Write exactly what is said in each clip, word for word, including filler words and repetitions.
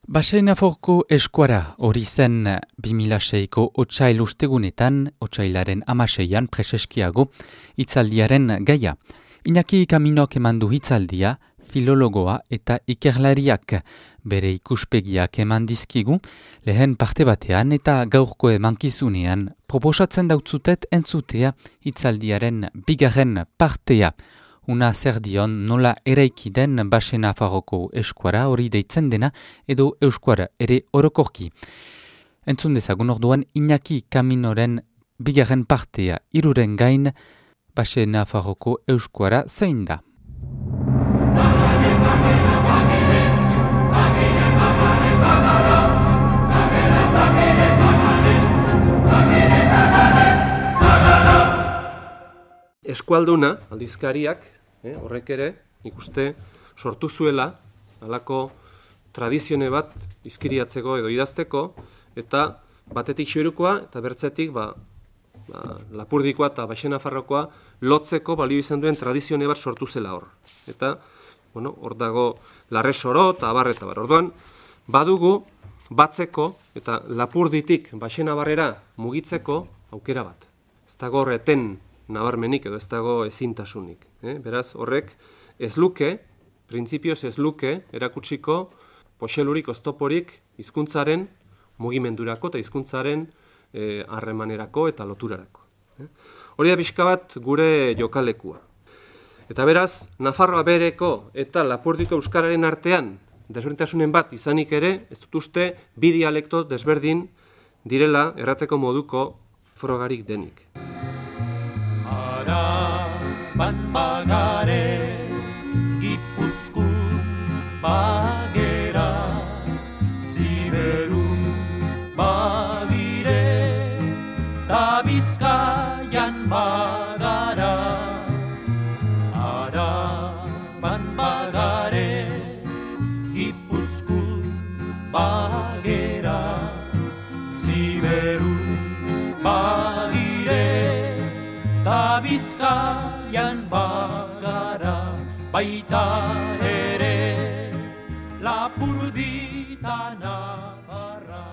Basenaforko eskuara hori zen bi mila seiko otsail ustegunetan, otsailaren hamaseian preseskiago hitzaldiaren gaia. Iñaki Kaminok eman du hitzaldia, filologoa eta ikerlariak bere ikuspegiak eman dizkigu, lehen parte batean eta gaurko emankizunean proposatzen dautzutet entzutea hitzaldiaren bigarren partea. Una zer dion nola eraiki den Basenafarroko eskuara hori deitzen dena edo eskuara ere orokorki. Entzun dezagun orduan Iñaki Kaminoren bigarren partea hiruren gain Basenafarroko eskuara zein da. Eskualduna, aldizkariak, eh, horrek ere, ikuste, sortu zuela, halako tradizione bat izkiriatzeko edo idazteko, eta batetik Xoirukoa eta bertzetik ba, ba, Lapurdikoa eta Basenafarrokoa lotzeko balio izan duen tradizione bat sortu zela hor. Eta, bueno, hor dago Larresoro eta abar eta bar. Orduan, badugu batzeko eta Lapurditik Basenabarrera mugitzeko aukera bat. Ez dago horreten nabarmenik edo ez dago ezintasunik. Eh? Beraz, horrek ez luke, printzipioz ez luke, erakutsiko poxelurik, oztoporik hizkuntzaren mugimendurako eta hizkuntzaren harremanerako eta loturarako. Eh? Hori da pixka bat gure jokalekua. Eta beraz, Nafarroa bereko eta Lapurdiko euskararen artean desberdintasunen bat izanik ere, ez dut uste bi dialekto desberdin direla errateko moduko frogarik denik. Bat bagare, Gipuzkoan bagera, Ziberun bagire, ta Bizkaian bagara. Araban bagare, Gipuzkoan bagera, Ziberun bagire, ta Bizkaian bagara, baita ere Lapurdita Navarra.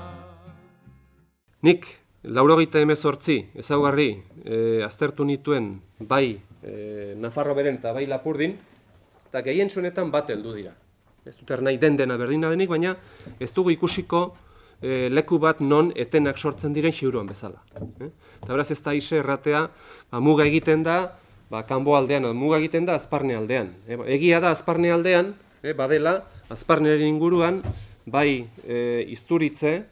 Nik, laurogeita hemezortzi ezaugarri e, aztertu nituen bai e, Nafarro beren eta bai Lapurdin, eta gehien zuenetan bat heldu dira. Ez dut nahi den dena berdina denik, baina ez dugu ikusiko E, leku bat non etenak sortzen diren Xiuruan bezala. Eh? Eta beraz ez da ise erratea, ba, muga egiten da, ba, kanbo aldean, muga egiten da Azparne aldean. E, egia da Azparne aldean, e, badela, Azparnearen inguruan, bai e, Izturitze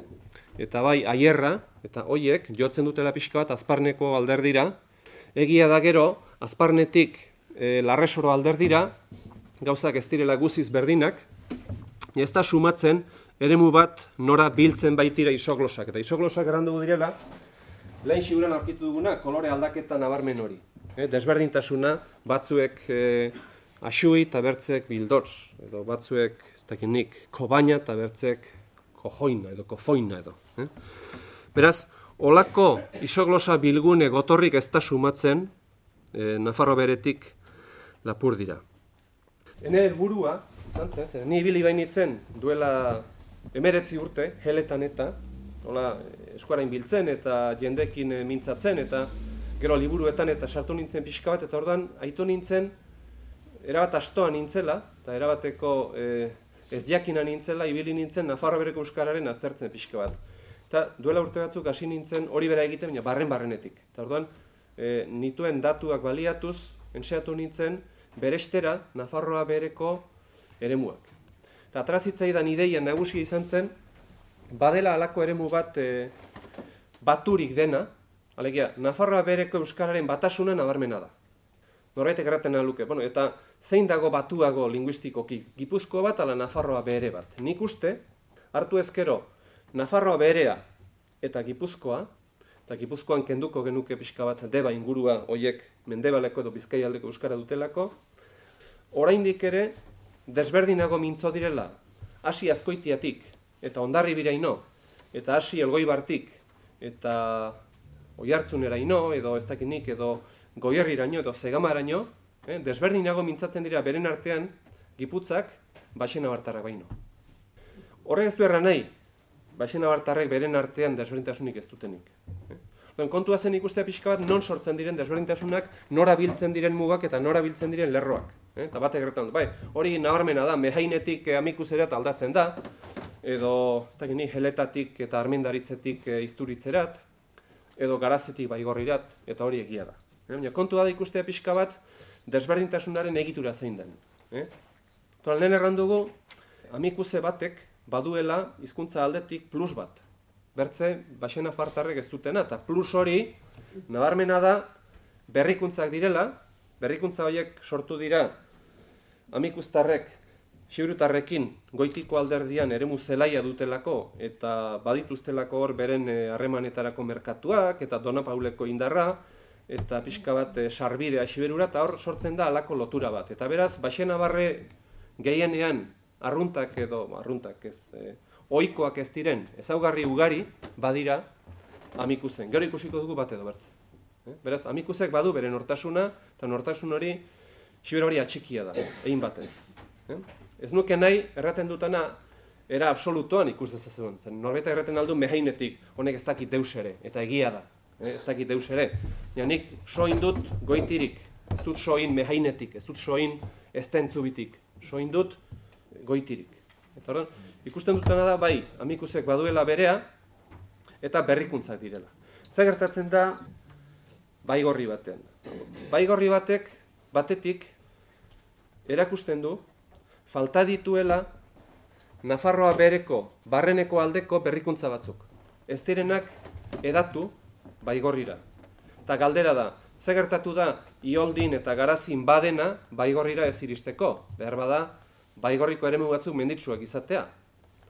eta bai Aierra, eta hoiek jotzen dutela pixka bat Azparneko alderdira. Egia da gero, Azparnetik e, Larresoro alderdira, gauzak ez direla guziz berdinak, ez da sumatzen, eremu bat nora biltzen baitira isoglosak. Eta isoglosak erandu direla, lehen Xiuran aurkitu duguna, kolore aldaketa nabarmen hori. Eh, desberdintasuna, batzuek eh, axui eta bertzek bildotz, edo batzuek, ez dakit nik, kobaina eta bertzek kojoina edo kofoina edo. Eh? Beraz, olako isoglosa bilgune gotorrik ez da sumatzen eh, Nafarro beretik Lapurdira. Hene helburua, izan zen, ni ibili bainitzen duela emeretzi urte, heletan eta, hola, eskuarain biltzen eta jendekin mintzatzen eta gero liburuetan eta sartu nintzen pixka bat, eta orduan aitu nintzen, erabat astoa nintzela, eta erabateko eh, ez jakina nintzela, ibili nintzen Nafarro bereko euskararen aztertzen pixka bat. Eta duela urte batzuk hasi nintzen hori bera egiten, baina barren-barrenetik. Eta orduan, eh, nituen datuak baliatuz, entseatu nintzen, berestera Nafarroa bereko eremuak. Eta atrazitzaidan ideia nagusia izan zen, badela halako eremu bat e, baturik dena, alegia, Nafarroa bereko euskararen batasuna nabarmena da. Norbaitek erraten luke, bueno, eta zein dago batuago linguistikoki, Gipuzkoa bat ala Nafarroa bere bat. Nik uste, hartu ezkero, Nafarroa berea eta Gipuzkoa, eta Gipuzkoan kenduko genuke pixka bat deba ingurua hoiek Mendebaleko edo Bizkaialdeko euskara dutelako, oraindik ere, desberdinago mintzo direla, hasi Azkoitiatik eta Hondarribiraino, eta hasi Elgoibartik eta Oiartzuneraino, edo ez dakinik, edo Goierriraino, edo Zegamaraino, eh, desberdinago mintzatzen dira beren artean Giputzak Basenabartarrak baino. Horrek ez du erran nahi, baxenabartarrek beren artean desberdintasunik ez dutenik. Eh? Kontua zen ikustea pixka bat non sortzen diren desberdintasunak, nora biltzen diren mugak eta nora biltzen diren lerroak. Eh? Eta batek gertan dut, bai, hori nabarmena da, mehainetik eh, amikuzerat aldatzen da, edo ez dakit ni, heletatik eta armendaritzetik eh, izturitzerat, edo garazetik baigorrirat, eta hori egia da. Eh? Baina kontua da ikustea pixka bat, desberdintasunaren egitura zein den. Eh? Toral, lehen erran dugu, amikuze batek baduela hizkuntza aldetik plus bat. Bertze, baxenafartarrek ez dutena, eta plus hori, nabarmena da, berrikuntzak direla, berrikuntza horiek sortu dira amikuztarrek, xiurutarrekin goitiko alderdian eremu zelaia dutelako, eta badituztelako hor beren harremanetarako merkatuak, eta Dona Pauleko indarra, eta pixka bat e, sarbidea xiberura, eta hor sortzen da halako lotura bat. Eta beraz, baxenabarre gehienean arruntak edo, arruntak ez, e, ohikoak ez diren, ezaugarri ugari badira amikuzen. Gero ikusiko dugu bat edo bertze. Eh? Beraz, amikuzek badu bere nortasuna, eta nortasun hori xiber hori atxikia da, egin batez. Eh? Ez nuke nahi, erraten dutana, era absolutoan ikus dezazuen. Zen, norbeta erraten aldu mehainetik, honek ez dakit deus ere, eta egia da. Eh? Ez dakit deus ere. Ja, nik soin dut goitirik, ez dut soin mehainetik, ez dut soin estentzubitik, soin dut goitirik. Eta hori, ikusten dutana da, bai, amikuzek baduela berea, eta berrikuntzak direla. Zer gertatzen da, baigorri batean. Baigorri batek, batetik, erakusten du, falta dituela Nafarroa bereko, barreneko aldeko berrikuntza batzuk. Ez direnak edatu baigorrira. Eta galdera da, zer gertatu da Ioldin eta Garazin badena baigorrira ez iristeko. Behar bada, baigorriko eremu batzuk menditsuak izatea.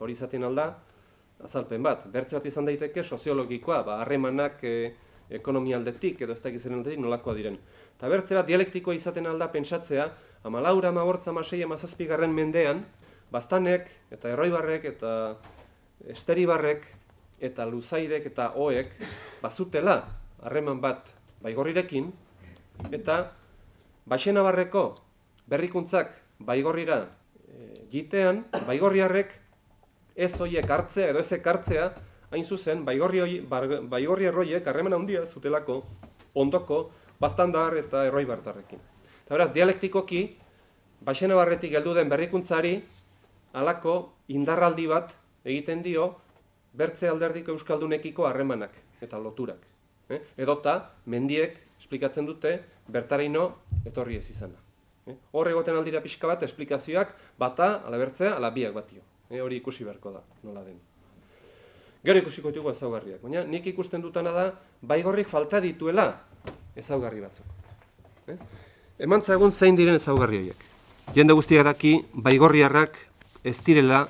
Hori izaten alda, azalpen bat. Bertze bat izan daiteke soziologikoa, ba, harremanak e, ekonomia aldetik edo ez dakizen aldetik nolakoa diren. Eta bertze bat dialektikoa izaten alda pentsatzea, amalaura, amabortza, amasei, amazazpigarren mendean, Baztanek eta Erroibarrek eta Esteribarrek eta Luzaidek eta Oek bazutela harreman bat baigorrirekin, eta Baxenabarreko berrikuntzak baigorrira e, gitean, baigorriarrek ez hoiek hartzea edo ezek hartzea, hain zuzen, baigorri erroiek harreman handia zutelako ondoko Baztandar eta Erroibartarrekin. Eta beraz, dialektikoki, Baxenabarretik heldu den berrikuntzari, halako indarraldi bat egiten dio bertze alderdiko euskaldunekiko harremanak eta loturak. Eh? Edota, mendiek esplikatzen dute bertaraino etorri ez izana. Eh? Hor egoten aldira pixka bat esplikazioak bata, ala bertzea, ala biak batio. Eh? Hori ikusi beharko da, nola den. Gero ikusiko ditugu ezaugarriak. Baina nik ikusten dutana da, baigorrik falta dituela ezaugarri batzuk. Eh? Emantza egun zein diren ezaugarri horiek. Jende guztiak daki, baigorriarrak ez direla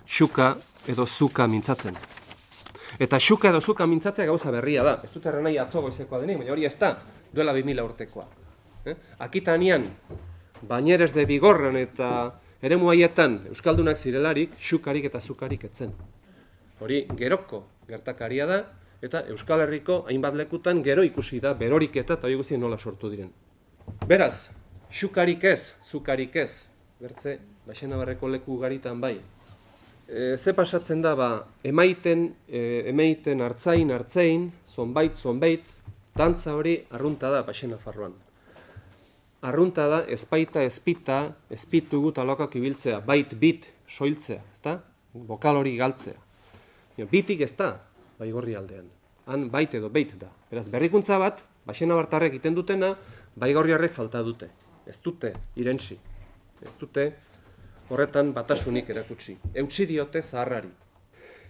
xuka edo zuka mintzatzen. Eta xuka edo zuka mintzatzea gauza berria da. Ez dut erran nahi atzo goizekoa denik, baina hori ez da, duela bi mila urtekoa. Eh? Akitanian, Bañeres de Bigorran eta eremu haietan euskaldunak zirelarik, xukarik eta zukarik etzen. Hori geroko gertakaria da, eta Euskal Herriko hainbat lekutan gero ikusi da berorik eta eta hori guztien nola sortu diren. Beraz, xukarik ez, zukarik ez, bertze, Baxenabarreko leku garitan bai. E, ze pasatzen da, ba, emaiten, e, emaiten hartzain, hartzein, zonbait, zonbait, dantza hori arrunta da Baxenafarroan. Arrunta da, ezpaita, ezpita, ezpitu gut alokak ibiltzea, bait, bit, soiltzea, ezta? Bokal hori galtzea. Bitik ez da, baigorri aldean. Han bait edo beit da. Beraz, berrikuntza bat, Baxenabartarrek egiten dutena, baigorriarrek falta dute. Ez dute irentsi. Ez dute horretan batasunik erakutsi. Eutsi diote zaharrari.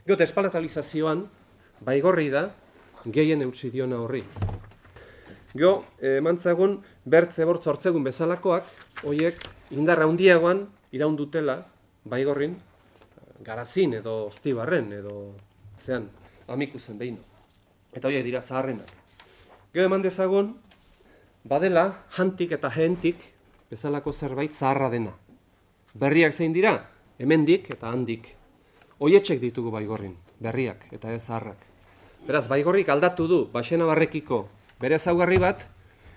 Gero, espalatalizazioan, baigorri da, gehien eutsi diona horri. Gero, emantzagun, bertze bortz hortzegun bezalakoak, horiek indarra handiagoan iraundutela, baigorrin, Garazin edo Oztibarren edo zean, amikuzen behino. Eta horiek dira zaharrenak. Gero eman dezagun, badela, jantik eta jentik, bezalako zerbait zaharra dena. Berriak zein dira, hemendik eta handik. Oietxek ditugu baigorrin, berriak eta ez zaharrak. Beraz, baigorrik aldatu du Baxenabarrekiko bere ezaugarri bat,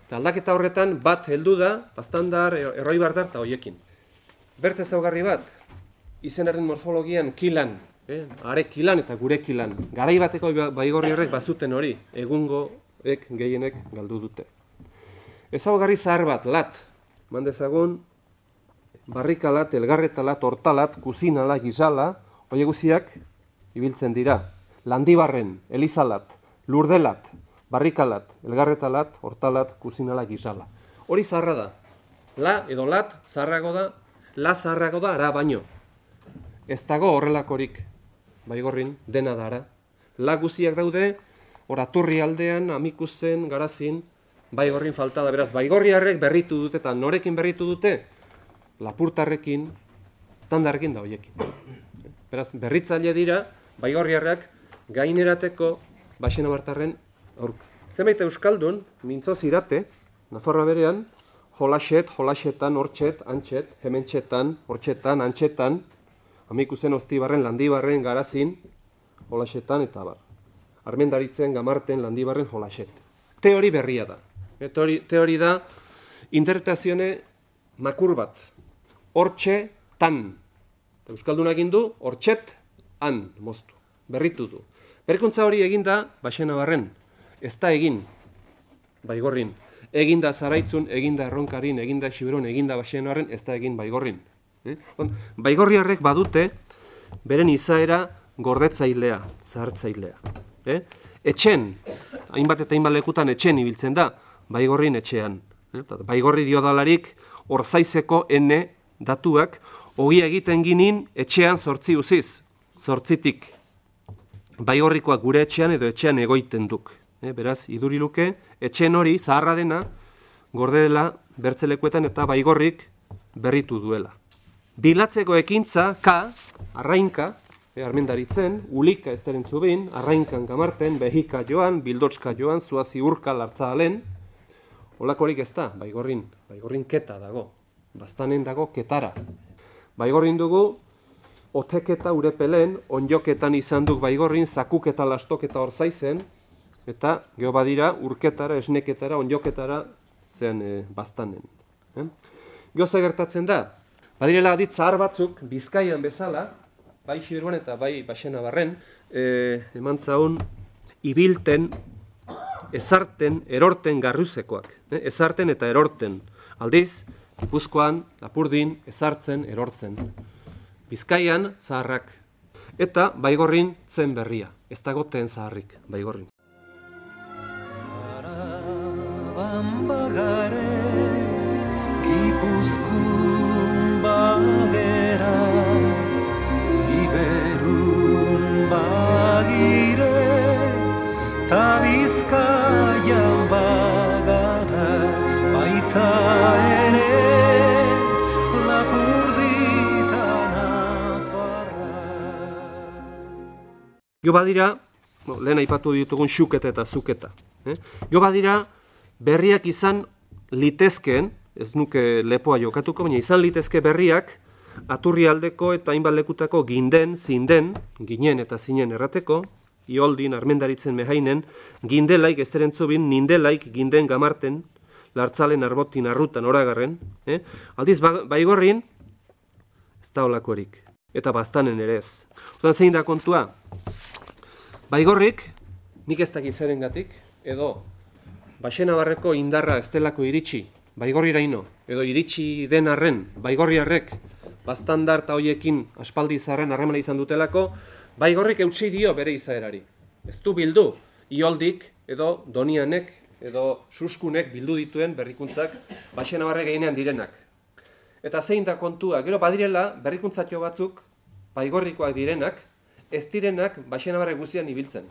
eta aldaketa horretan bat heldu da, Baztandar, Erroibardar eta hoiekin. Bertze ezaugarri bat, izenaren morfologian kilan, eh? are kilan eta gure kilan. Garai bateko baigorri horrek bazuten hori, egungoek gehienek galdu dute. Ezaugarri zahar bat, lat, mandezagun, barrikalat, elgarretalat, hortalat, kuzinala, gizala, hori guziak ibiltzen dira. Landibarren, elizalat, lurdelat, barrikalat, elgarretalat, hortalat, kuzinala, gizala. Hori zaharra da. La edo lat zaharrago da, la zaharrago da ara baino. Ez dago horrelakorik baigorrin, dena da ara. La guziak daude, oraturri aldean, amikuzen, garazin, baigorrin falta da. Beraz, baigorriarrek berritu dute eta norekin berritu dute? Lapurtarrekin, standarrekin da hoiekin. Beraz, berritzaile dira, baigorriarrak gainerateko Baxenabartarren aurka. Zenbait euskaldun, mintzo zirate, Nafarroa berean, jolaset, jolasetan, hortxet, antxet, hementxetan, hortxetan, antxetan, amikuzen, oztibarren, landibarren, garazin, jolasetan eta bar. Armendaritzen, gamarten, landibarren, jolaset. Teori berria da. E, teori, teori da interpretazione makur bat. Hortxe, tan. Euskaldunak indu, hortxet, han, moztu. Berritu du. Berrikuntza hori eginda, Baxenabarren. Ez da egin, baigorrin. Eginda Zaraitzun, eginda Erronkarin, eginda Xiberon, eginda Baxenabarren, ez da egin baigorrin. Eh? Baigorriarrek badute beren izaera gordetzailea, zahartzailea. Eh? Etxen, hainbat eta hainbat lekutan etxen ibiltzen da, baigorrin etxean. Eh? Baigorri diodalarik orzaizeko ene datuak, ogi egiten ginin etxean zortzi uziz, zortzitik. Baigorrikoak gure etxean edo etxean egoiten duk. E, beraz, iduriluke, etxen hori, zaharra dena, gorde dela bertzelekuetan eta baigorrik berritu duela. Bilatzeko ekintza, ka, arrainka, e, armendaritzen, ulika ez deren zubin, arrainkan gamarten, behika joan, bildotska joan, zuazi urka lartzahalen, holakorik ez da, baigorrin, baigorrin keta dago, bastanen dago ketara. Baigorrin dugu, oteketa urepelen, onjoketan izan duk baigorrin, zakuketa lastoketa orzaizen, eta geho badira urketara, esneketara, onjoketara zen e, bastanen. Eh? Geho gertatzen da, badirela adit zahar batzuk, Bizkaian bezala, bai Xiberuan eta bai Baxenabarren, e, eman zaun, ibilten, ezarten, erorten garruzekoak. Eh? Ezarten eta erorten. Aldiz, Gipuzkoan, Lapurdin, ezartzen, erortzen. Bizkaian zaharrak. Eta baigorrin tzen berria. Ez dago ten zaharrik, baigorrin. Araban bagare, Gipuzkoan bagera, Ziberun bagire, ta Bizkaian bagara, baita ere, Jo badira, no, lehen aipatu ditugun xuketa eta zuketa. Eh? Jo badira, berriak izan litezkeen, ez nuke lepoa jokatuko, baina izan litezke berriak, aturri aldeko eta hainbat lekutako ginden, zinden, ginen eta zinen errateko, ioldin, armendaritzen mehainen, gindelaik ez erentzubin, nindelaik, ginden gamarten, lartzalen, arbotin, arrutan, oragarren. Eh? Aldiz, baigorrin, ez da olakorik. Eta bastanen ere ez. Otan zein da kontua? Baigorrik, nik ez dakit zerengatik, edo Baxenabarreko indarra ez delako iritsi, baigorriraino, edo iritsi den arren, baigorriarrek, bastandar eta hoiekin aspaldi izarren harremana izan dutelako, baigorrik eutsi dio bere izaerari. Ez du bildu, ioldik, edo donianek, edo suskunek bildu dituen berrikuntzak Baxenabarrek gehienean direnak. Eta zein da kontua, gero badirela berrikuntzatxo batzuk, baigorrikoak direnak, ez direnak Baxenabarrek guzian ibiltzen.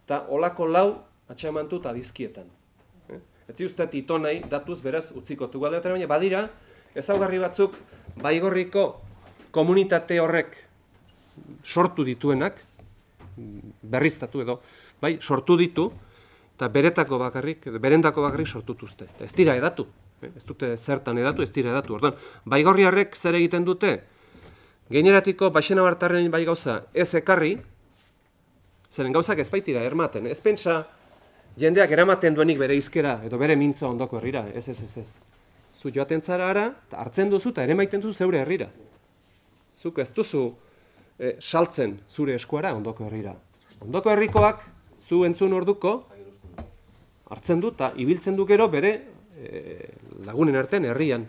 Eta olako lau atxamantu eta dizkietan. Ez ziuztet ito nahi, datuz beraz utzikotu galdeotera, baina badira, ezaugarri batzuk baigorriko komunitate horrek sortu dituenak, berriztatu edo, bai, sortu ditu, eta beretako bakarrik, berendako bakarrik sortutuzte. Ez dira edatu, ez dute zertan edatu, ez dira edatu. Ordan, baigorriarrek zer egiten dute? Gaineratiko Baxenabartarren bai gauza ez ekarri, zeren gauzak ez baitira ermaten. Ez pentsa jendeak eramaten duenik bere izkera edo bere mintzoa ondoko herrira. Ez, ez, ez, ez. Zu joaten zara ara, eta hartzen duzu eta ere maiten duzu zeure herrira. zuk ez duzu e, saltzen zure eskuara ondoko herrira. Ondoko herrikoak zu entzun orduko hartzen du eta ibiltzen du gero bere e, lagunen artean herrian.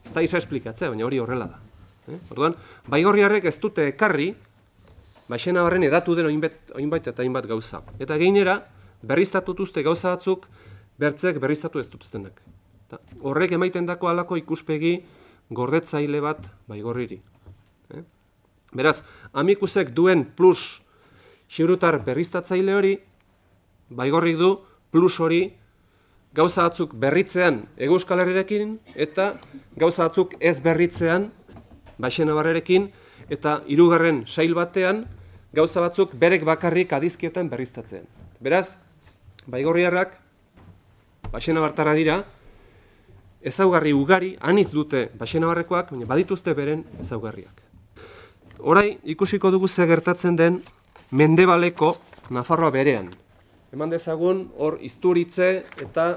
Ez da isa esplikatzea, baina hori horrela da. Eh? Orduan, baigorriarrek ez dute ekarri, Baxenabarren edatu den oinbait, oinbait eta hainbat gauza. Eta gainera, berriztatu duzte gauza batzuk, bertzek berriztatu ez dutuztenak. Horrek emaiten dako halako ikuspegi gordetzaile bat baigorriri. Eh? Beraz, Amikusek duen plus xiurutar berriztatzaile hori, baigorrik du plus hori gauza batzuk berritzean Hego Euskal Herriarekin eta gauza batzuk ez berritzean Baxenabarrerekin eta hirugarren sail batean gauza batzuk berek bakarrik adizkietan berriztatzean. Beraz, baigorriarrak Baxenabartarra dira, ezaugarri ugari, anitz dute Baxenabarrekoak, baina badituzte beren ezaugarriak. Orai ikusiko dugu ze gertatzen den Mendebaleko Nafarroa berean. Eman dezagun hor Izturitze eta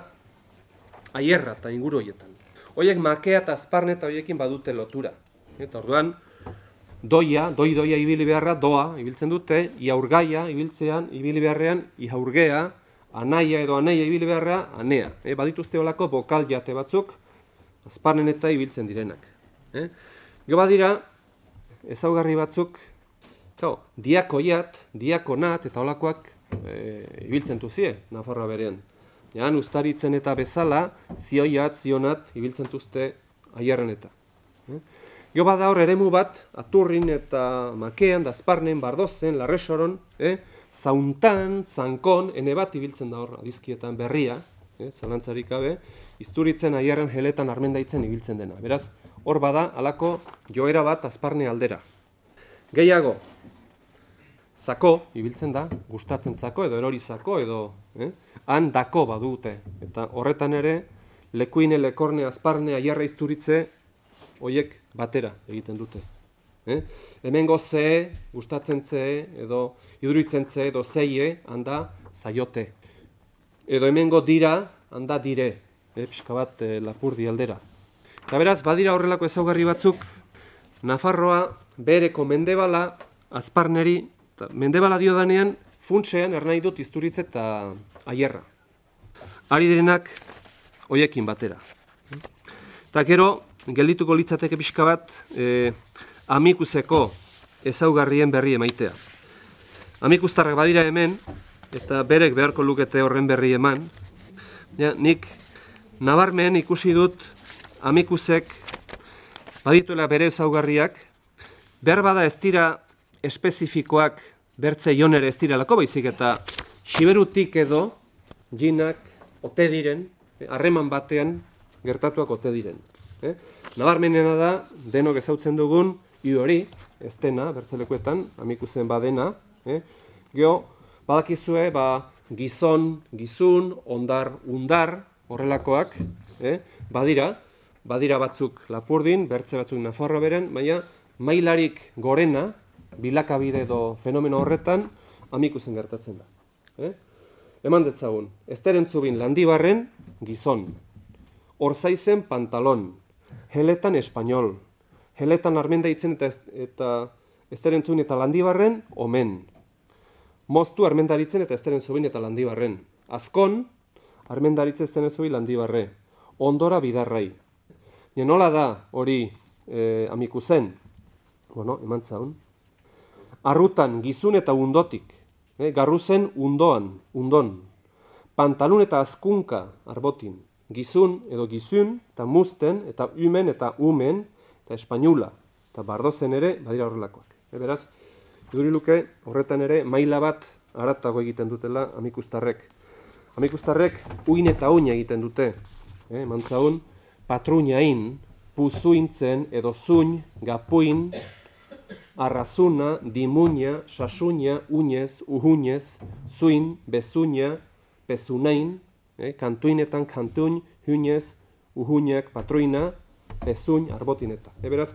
Aierra eta inguru horietan. Hoiek Makea eta Azparne eta hoiekin badute lotura. Eta orduan, doia, doi-doia ibili beharra, doa, ibiltzen dute, iaurgaia, ibiltzean, ibili beharrean, iaurgea, anaia edo anaia ibili beharra, anea. E, badituzte olako bokal jate batzuk, Azparnen eta ibiltzen direnak. E? Gero badira, ezaugarri batzuk, kao, diakoiat, diakonat eta olakoak e, ibiltzen duzie, Nafarroa berean. Jan, ustaritzen eta bezala, zioiat, zionat, ibiltzen duzte Aierren eta. E? Gero bada hor eremu bat, Aturrin eta Makean, Azparnen, Bardozen, Larresoron, eh? Zauntan, Zankon, ene bat ibiltzen da hor adizkietan berria, eh? Zalantzarik gabe, Izturitzen, Aierren, Heletan, Armendaitzen ibiltzen dena. Beraz, hor bada halako joera bat Azparne aldera. Gehiago, zako ibiltzen da, gustatzen zako edo erori zako edo eh? Han dako badute. Eta horretan ere, Lekuine, Lekorne, Azparne, Aierra, Izturitze, hoiek batera egiten dute. Eh? Hemengo ze, gustatzen ze, edo iduritzen ze, edo zeie, handa zaiote. Edo hemengo dira, handa dire, eh? Pixka bat eh, Lapurdi aldera. Eta beraz, badira horrelako ezaugarri batzuk, Nafarroa bereko Mendebala, Azparneri, eta Mendebala diodanean, funtsean ernai dut Izturitze eta Aierra. Ari direnak, hoiekin batera. Eta gero, geldituko litzateke pixka bat eh, Amikuseko ezaugarrien berri emaitea. Amikustarrak badira hemen, eta berek beharko lukete horren berri eman. Ja, nik nabarmen ikusi dut Amikusek badituela bere ezaugarriak, behar bada ez dira espezifikoak bertze jonere ez direlako, baizik eta Xiberutik edo jinak ote diren, harreman batean gertatuak ote diren. Eh? Nabarmenena da, denok ezautzen dugun, i hori, ez dena, bertzelekuetan, Amikusen badena. Eh? Geo, badakizue, ba, gizon, gizun, ondar, undar, horrelakoak, eh? badira, badira batzuk Lapurdin, bertze batzuk Nafarroa beren, baina mailarik gorena, bilakabide edo fenomeno horretan, Amikusen gertatzen da. Eh? Eman detzagun, Esterentzubin Landibarren, gizon, Orzaizen pantalon, Heletan espainol, Heletan Armendaitzen eta, eta Esterentzubin eta Landibarren, omen. Moztu Armendaritzen eta Esterentzubin eta Landibarren. Azkon, Armendaritze Esterentzubin Landibarre. Ondora Bidarrai. Ja, nola da hori eh, Amikusen? Bueno, eman zaun. Arrutan gizun eta undotik. Eh, garruzen undoan, undon. Pantalun eta azkunka arbotin. Gizun edo gizun, eta musten, eta umen, eta umen, eta espainula, eta bardozen ere, badira horrelakoak. E, beraz, iduriluke horretan ere maila bat haratago egiten dutela Amikustarrek. Amikustarrek uin eta uin egiten dute. E, mantzaun, patruñain, puzuintzen, edo zuin, gapuin, arrazuna, dimuña, sasuña, uñez, uhunez, zuin, bezuña, pezunain, Eh, kantuinetan kantuin, huinez, uhuinek, patruina, pezuin, arbotineta. E, beraz,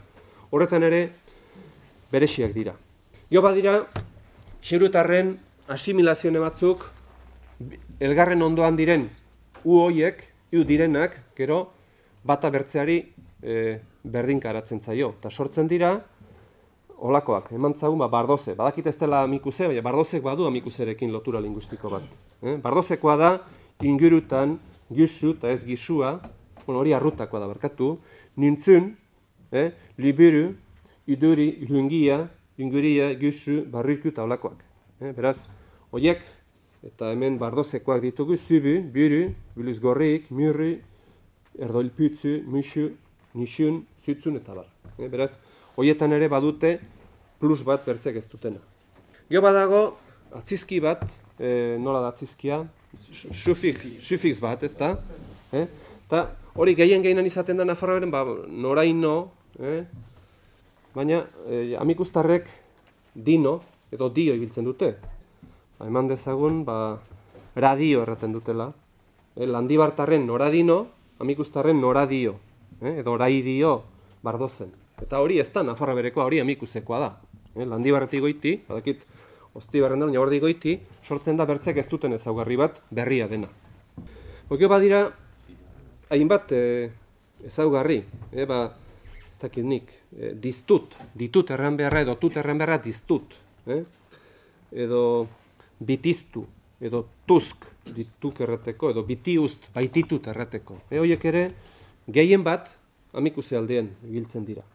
horretan ere, berexiak dira. Gio badira, xirutarren asimilazione batzuk, elgarren ondoan diren, u hoiek, u direnak, gero, bata bertzeari e, berdinka aratzen zaio. Eta sortzen dira, olakoak, eman zagun, ba, bardoze. Badakit ez dela amikuse, baina bardozek badu amikuserekin lotura linguistiko bat. Eh? Bardozekoa da, ingurutan, gizu eta ez gizua, bueno, hori arrutakoa da, barkatu, nintzun, eh? Liburu, iduri, ilungia, inguria, gizu, barriku eta olakoak. Eh? Beraz, horiek, eta hemen bardozekoak ditugu, zubu, buru, biluz gorrik, murri, erdoilputzu, musu, nixun, zutzun eta bar. Eh? Beraz, horietan ere badute plus bat bertzek ez dutena. Gero badago atzizki bat, e, nola da atzizkia? Sufix bat, ez da? Eh? Ta hori gehien gehienan izaten da Nafarroaren, ba, noraino, eh? Baina e, amikustarrek dino edo dio ibiltzen dute. Ba, eman dezagun, ba, radio erraten dutela. Eh? Landibartarren noradino, amikustarren noradio, eh? Edo oraidio bardozen. Eta hori ez da Nafarra berekoa, hori amikusekoa da. Eh, Landibarretik goiti, badakit Ostibarren da, baina hori goiti, sortzen da bertzek ez duten ezaugarri bat berria dena. Okio badira, hainbat eh, ezaugarri, eh, ba, ez dakit nik, eh, diztut, ditut erran beharra edo tut erran beharra diztut. Eh? Edo bitiztu, edo tusk, dituk errateko, edo bitiust, baititut errateko. Eh, horiek ere, gehien bat, amikuse aldean ibiltzen dira.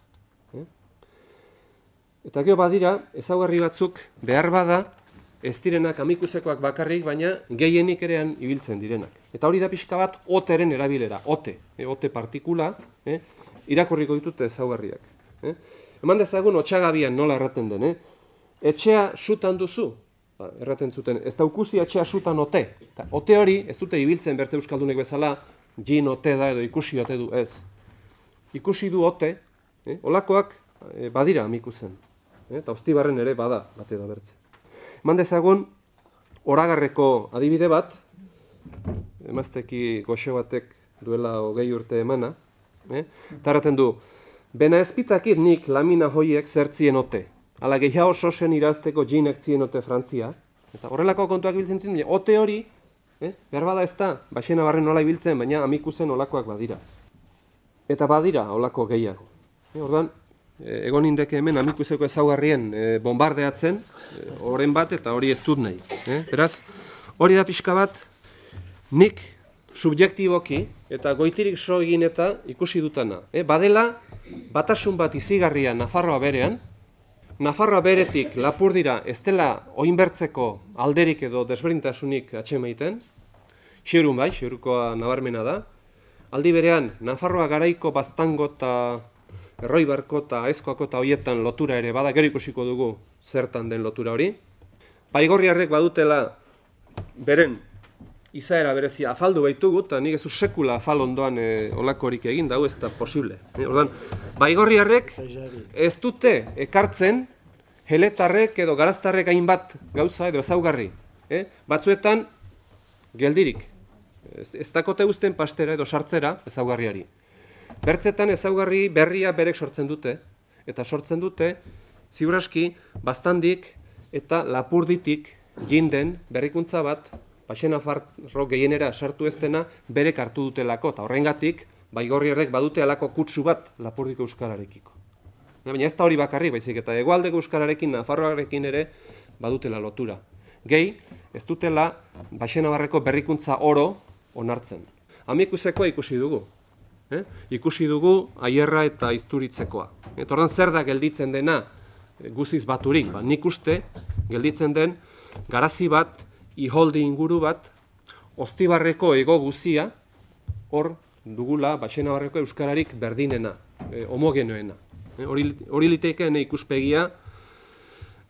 Eta gero badira, ezaugarri batzuk behar bada, ez direnak amikusekoak bakarrik, baina gehienik erean ibiltzen direnak. Eta hori da pixka bat oteren erabilera, ote, e, ote partikula, eh? Irakurriko ditute ezaugarriak. Eh? Eman dezagun otxagabian nola erraten den, eh? Etxea sutan duzu, ba, erraten zuten, ez daukuzi etxea sutan ote. Eta ote hori, ez dute ibiltzen bertze euskaldunek bezala, jin ote da edo ikusi ote du, ez. Ikusi du ote, eh? Olakoak eh, badira amikuzen. Eta Ostibarren ere bada, bate da bertze. Eman dezagun, oragarreko adibide bat, emazteki goxe batek duela hogei urte emana, eh? Tarraten du, bena ezpitakit nik lamina hoiek zertzien ote, ala gehiago sosen irazteko jinak zien ote Frantzia, eta horrelako kontuak biltzen zen, ote hori, eh? Behar bada ez da, baxena barren nola ibiltzen, baina amikuzen olakoak badira. Eta badira olako gehiago. Eh? Orduan, egon indeke hemen amikuseko ezaugarrien e, bombardeatzen, horren e, bat eta hori ez dut nahi. Eh? Beraz, hori da pixka bat, nik subjektiboki eta goitirik so egin eta ikusi dutana. Eh? Badela, batasun bat izigarria Nafarroa berean, Nafarroa beretik Lapurdira ez dela oinbertzeko alderik edo desberdintasunik atxemaiten, xerun bai, xerukoa nabarmena da, aldi berean Nafarroa garaiko baztango eta Erroibarko eta Aizkoako eta hoietan lotura ere bada, gero ikusiko dugu zertan den lotura hori. Baigorriarrek badutela beren izaera berezia afaldu baitugu, eta nik ez du sekula afal ondoan e, olakorik egin, dau ez da posible. E, ordan, Baigorriarrek ez dute ekartzen heletarrek edo garaztarrek hainbat gauza edo ezaugarri. E, batzuetan geldirik. Ez, ez dakote guzten pastera edo sartzera ezaugarriari. Bertzetan ezaugarri berria berek sortzen dute, eta sortzen dute, ziuraski, baztandik eta lapurditik jinden berrikuntza bat, Baxenafarro gehienera sartu ez dena berek hartu dutelako, eta horrengatik, Baigorriarrek badute alako kutsu bat Lapurdiko euskararekiko. Baina ez da hori bakarrik, baizik eta hegoaldeko euskararekin, Nafarroarekin ere badutela lotura. Gehi, ez dutela Baxenafarreko berrikuntza oro onartzen. Amikusekoa ikusi dugu. Eh? Ikusi dugu Aierra eta Izturitzekoa. Eta ordan zer da gelditzen dena guziz baturik? Ba, nik uste gelditzen den garazi bat, iholdi inguru bat, Ostibarreko ego guzia, hor dugula Baxenabarreko euskararik berdinena, eh, homogenoena. Eh, hori litekeen ikuspegia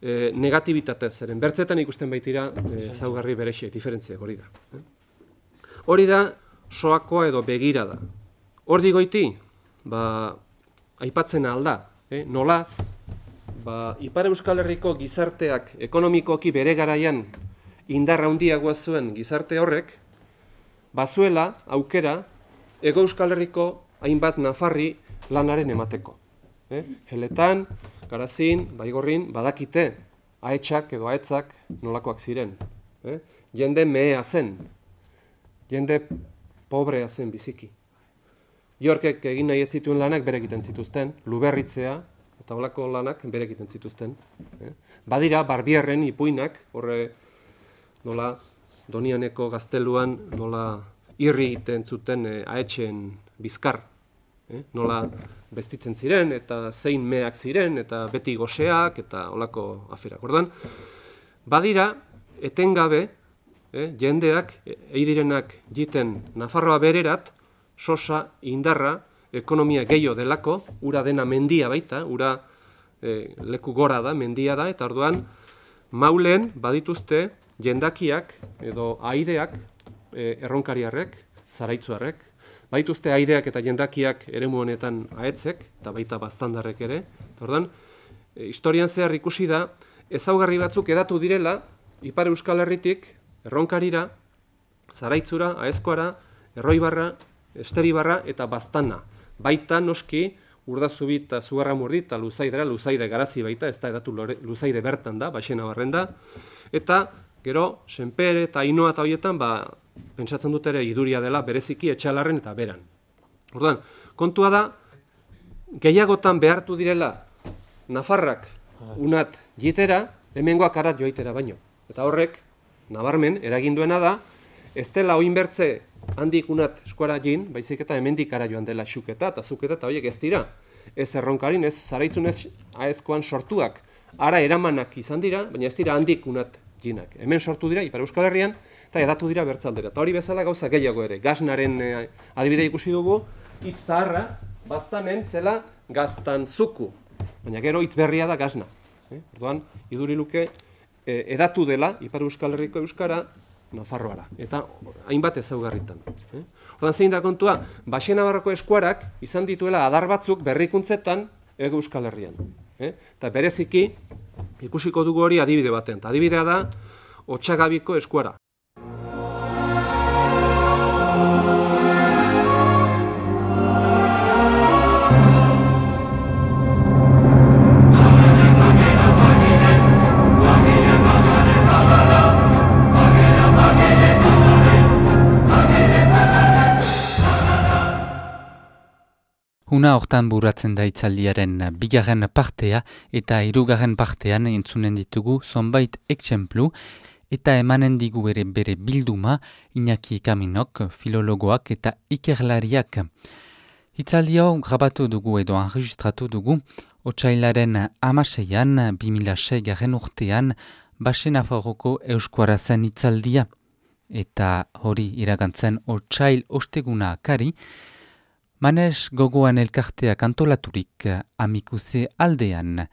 eh, negatibitatez zeren. Bertzetan ikusten baitira ezaugarri eh, berexiek, diferentziak hori da. Eh? Hori da soakoa edo begira da. Hordi goiti, ba, aipatzen alda, eh? Nolaz, ba, Ipar Euskal Herriko gizarteak ekonomikoki bere garaian indarra handiagoa zuen gizarte horrek, bazuela aukera Ego Euskal Herriko hainbat nafarri lanaren emateko. Eh? Heletan, Garazin, Baigorrin, badakite, ahetsak edo ahetzak nolakoak ziren. Eh? Jende mehea zen, jende pobrea zen biziki. Iorkek egin nahi ez zituen lanak bere egiten zituzten, luberritzea, eta holako lanak berek egiten zituzten. Eh? Badira, Barbierren ipuinak, horre nola Donianeko gazteluan nola irri egiten zuten eh, ahetxeen bizkar, eh? nola bestitzen ziren, eta zein meak ziren, eta beti goseak, eta holako aferak. Orduan, badira, etengabe, eh, jendeak, eidirenak jiten Nafarroa bererat, sosa, indarra, ekonomia gehiago delako, ura dena mendia baita, ura eh, leku gora da, mendia da, eta orduan, maulen badituzte jendakiak edo aideak, eh, erronkariarrek, zaraitzuarrek, baituzte aideak eta jendakiak eremu honetan ahetzek, eta baita baztandarrek ere. Eta orduan, e, historian zehar ikusi da, ezaugarri batzuk edatu direla, Ipar Euskal Herritik, erronkarira, zaraitzura, aezkoara, erroibarra, esteribarra eta baztana. Baita noski, Urdazubi eta Zugarramurdi eta Luzaidera, Luzaide garazi baita, ez da edatu lore, Luzaide bertan da, Baxena barren da, eta gero, Senpere eta Ainoa eta horietan, ba, pentsatzen dut ere iduria dela bereziki Etxalarren eta Beran. Orduan, kontua da, gehiagotan behartu direla Nafarrak unat jitera, hemengoak arat joitera baino. Eta horrek, nabarmen, eraginduena da, ez dela oinbertze handik unat eskuara jin, baizik eta hemendik ara joan dela xuketa eta zuketa eta horiek ez dira. Ez erronkarin, ez zaraitzun ez aezkoan sortuak, ara eramanak izan dira, baina ez dira handik unat jinak. Hemen sortu dira, Ipar Euskal Herrian, eta edatu dira bertzaldera. Eta hori bezala gauza gehiago ere. Gaznaren eh, adibide ikusi dugu, hitz zaharra, baztanen zela gaztanzuku. Baina gero hitz berria da gazna. Eh? Orduan, iduri luke eh, edatu dela, Ipar Euskal Herriko euskara, Nafarroara. Eta hainbat ezaugarritan. Eh? Orduan zein da kontua, Baxenabarroko eskuarak izan dituela adar batzuk berrikuntzetan Hego Euskal Herrian. Eh? Eta bereziki, ikusiko dugu hori adibide baten. Eta adibidea da, Otsagabiko eskuara. Una hortan buratzen da hitzaldiaren bigarren partea eta hirugarren partean entzunen ditugu zonbait exemplu eta emanen digu ere bere bilduma Iñaki Kaminok, filologoak eta ikerlariak. Hitzaldi hau grabatu dugu edo enregistratu dugu otsailaren hamaseian bi mila seigarren urtean Baxenafarroko euskuara zen hitzaldia. Eta hori iragantzen otsail osteguna kari, Manes gogoan elkarteak antolaturik Amikuse aldean,